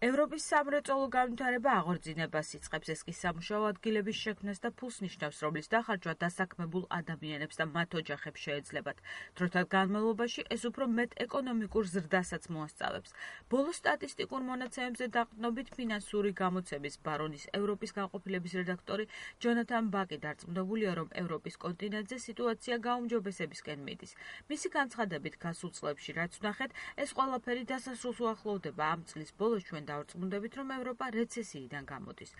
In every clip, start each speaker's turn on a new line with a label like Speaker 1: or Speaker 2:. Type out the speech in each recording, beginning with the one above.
Speaker 1: ევროპის სამრეწველო განვითარება აღორძინებას იწყებს, ეს კი სამუშაო ადგილების შექმნას და ფულს ნიშნავს, რომლის დახარჯვა დასაქმებულ ადამიანებს და მათ ოჯახებს შეეძლებათ. დროთა განმავლობაში ეს უფრო მეტ ეკონომიკურ ზრდასაც მოასწავებს. ბოლო სტატისტიკურ მონაცემებზე დაყრდნობით ფინანსური გამოცემის ბარონის ევროპის განყოფილების რედაქტორი ჯონათან ბაკი დარწმუნებულია, რომ ევროპის კონტინენტზე სიტუაცია გაუმჯობესებისკენ მიდის. მისი განცხადებით, გასულ წლებში რაც ვნახეთ, ეს ყველაფერი დასასრულს უახლოვდება. ამ წლის ბოლოს ჩვენ დავარწმუნდებით, რომ ევროპა რეცესიიდან გამოდის.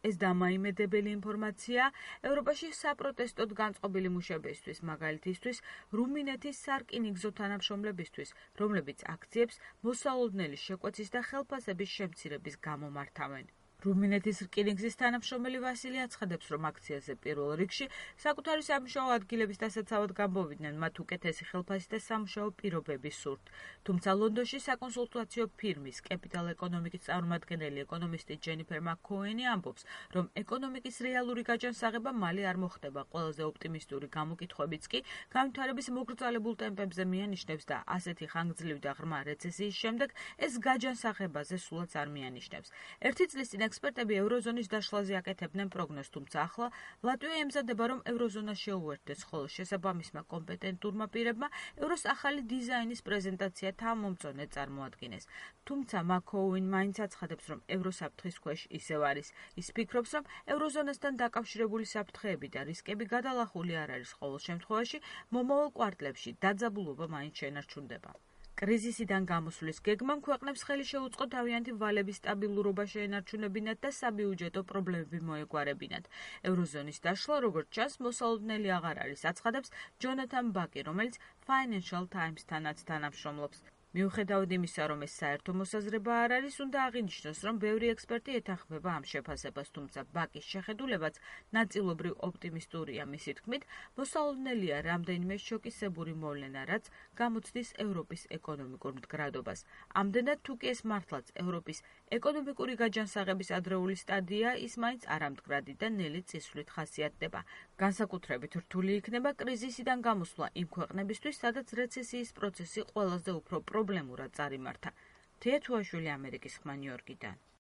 Speaker 1: ეს დამაიმედებელი ინფორმაცია ევროპაში საპროტესტოდ განწყობილი მუშებისთვის, მაგალითისთვის რუმინეთის სარკინიგზო თანამშრომლებისთვის, რომლებიც აქციებს მოსალოდნელი შეკვეცის და ხელფასების შემცირების გამო მართავენ. რუმინეთის რკინიგზის თანამშრომელი ვასილი აცხადებს, რომ აქციაზე პირველ რიგში საკუთარი სამუშაო ადგილების დასაცავად გამოვიდნენ, მათ უკეთესი ხელფასი და სამუშაო პირობები სურთ. თუმცა ლონდონში საკონსულტაციო ფირმის კეპიტალ ეკონომიკის წარმომადგენელი ეკონომისტი ჯენიფერ მაკ-ქოენი ამბობს, რომ ეკონომიკის რეალური გაჯანსაღება მალე არ მოხდება. ყველაზე ოპტიმისტური გამოკითხვებიც კი განვითარების მოგრძალებულ ტემპებზე მიანიშნებს და ასეთი ხანგრძლივი და ღრმა რეცესიის შემდეგ ეს გაჯანსაღებაზე სულაც არ მიანიშნებს. ერთი წლის წინ ექსპერტები ევროზონის დაშლაზე აკეთებდნენ პროგნოზს, თუმცა ახლა ლატვია ემზადება, რომ ევროზონა შეუერთდეს, ხოლო შესაბამისმა კომპეტენტურმა პირებმა ევროს ახალი დიზაინის პრეზენტაცია თავმომწონე წარმოადგინეს. თუმცა მაკ-ქოენი მაინც აცხადებს, რომ ევროსაფრთხის ქვეშ ისევ არის. ის ფიქრობს, რომ ევროზონასთან დაკავშირებული საფრთხეები და რისკები გადალახული არ არის, ყოველ შემთხვევაში მომავალ კვარტლებში დაძაბულობა მაინც შენარჩუნდება. კრიზისიდან გამოსვლის გეგმამ ქვეყნებს ხელი შეუწყო თავიანთი ვალების სტაბილურობა შეენარჩუნებინათ და საბიუჯეტო პრობლემები მოეგვარებინათ. ევროზონის დაშლა, როგორც ჩანს, მოსალოდნელი აღარ არის, აცხადებს ჯონათან ბაკი, რომელიც Financial Times-თანაც თანამშრომლობს. მიუხედავად იმისა, რომ ეს საერთო მოსაზრება არ არის, უნდა აღინიშნოს, რომ ბევრი ექსპერტი ეთანხმება ამ შეფასებას, თუმცა ბაკის შეხედულებაც ნაწილობრივ ოპტიმისტურია. მისი თქმით, მოსალოდნელია რამდენიმე შოკისებური მოვლენა, რაც გამოცდის ევროპის ეკონომიკურ მდგრადობას. ამდენად, თუ კი ეს მართლაც ევროპის ეკონომიკური გაჯანსაღების ადრეული სტადია, ის მაინც არამდგრადი და ნელი წისვლით ხასიათდება. განსაკუთრებით რთული იქნება კრიზისიდან გამოსვლა იმ ქვეყნებისთვის, სადაც რეცესიის პროცესი ყველაზე უფრო პრობლემურად წარიმართა. თეა თუაშვილი, ამერიკის ხმა, ნიუ-იორკიდან.